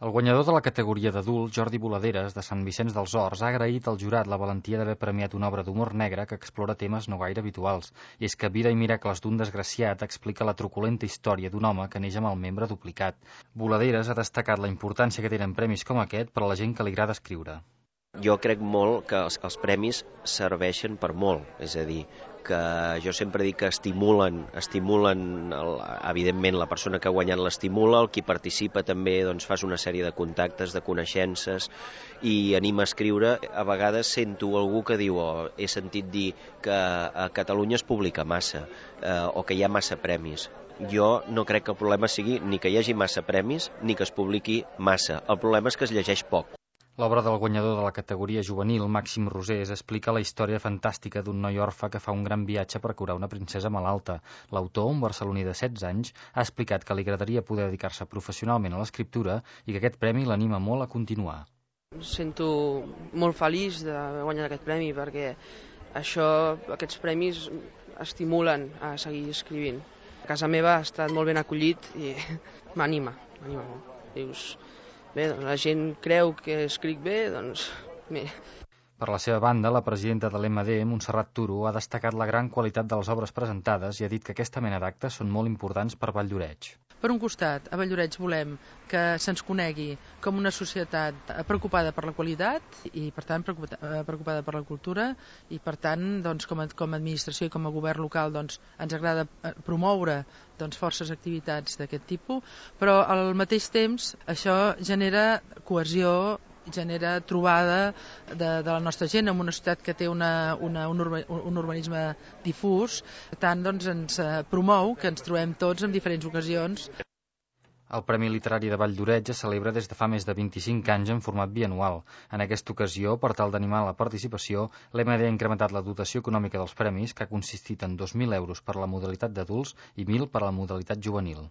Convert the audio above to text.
El guanyador de la categoria d'adult, Jordi Boladeres, de Sant Vicenç dels Horts, ha agraït al jurat la valentia d'haver premiat una obra d'humor negre que explora temes no gaire habituals. I és que Vida i miracles d'un desgraciat explica la truculenta història d'un home que neix amb el membre duplicat. Boladeres ha destacat la importància que tenen premis com aquest per a la gent que li agrada escriure. Jo crec molt que els premis serveixen per molt, és a dir, que jo sempre dic que estimulen evidentment la persona que ha guanyat l'estimula, el qui participa també doncs, fas una sèrie de contactes, de coneixences i anima a escriure. A vegades sento algú que diu, he sentit dir que a Catalunya es publica massa o que hi ha massa premis. Jo no crec que el problema sigui ni que hi hagi massa premis ni que es publiqui massa. El problema és que es llegeix poc. L'obra del guanyador de la categoria juvenil, Màxim Rosés, explica la història fantàstica d'un noi orfe que fa un gran viatge per curar una princesa malalta. L'autor, un barceloní de 16 anys, ha explicat que li agradaria poder dedicar-se professionalment a l'escriptura i que aquest premi l'anima molt a continuar. Em sento molt feliç de guanyar aquest premi perquè aquests premis estimulen a seguir escrivint. A casa meva ha estat molt ben acollit i m'anima molt. Dius, bé, doncs la gent creu que escric bé, doncs bé. Per la seva banda, la presidenta de l'EMD, Montserrat Turo, ha destacat la gran qualitat de les obres presentades i ha dit que aquesta mena d'actes són molt importants per Valldoreix. Per un costat, a Valldoreix volem que se'ns conegui com una societat preocupada per la qualitat i, per tant, preocupada per la cultura i, per tant, doncs, com a administració i com a govern local doncs, ens agrada promoure forces activitats d'aquest tipus, però al mateix temps això genera cohesió, genera trobada de la nostra gent en una societat que té un urbanisme difús. Per tant, doncs, ens promou que ens trobem tots en diferents ocasions. El Premi Literari de Valldoreix es celebra des de fa més de 25 anys en format bianual. En aquesta ocasió, per tal d'animar la participació, l'EMD ha incrementat la dotació econòmica dels premis, que ha consistit en 2.000 euros per a la modalitat d'adults i 1.000 per a la modalitat juvenil.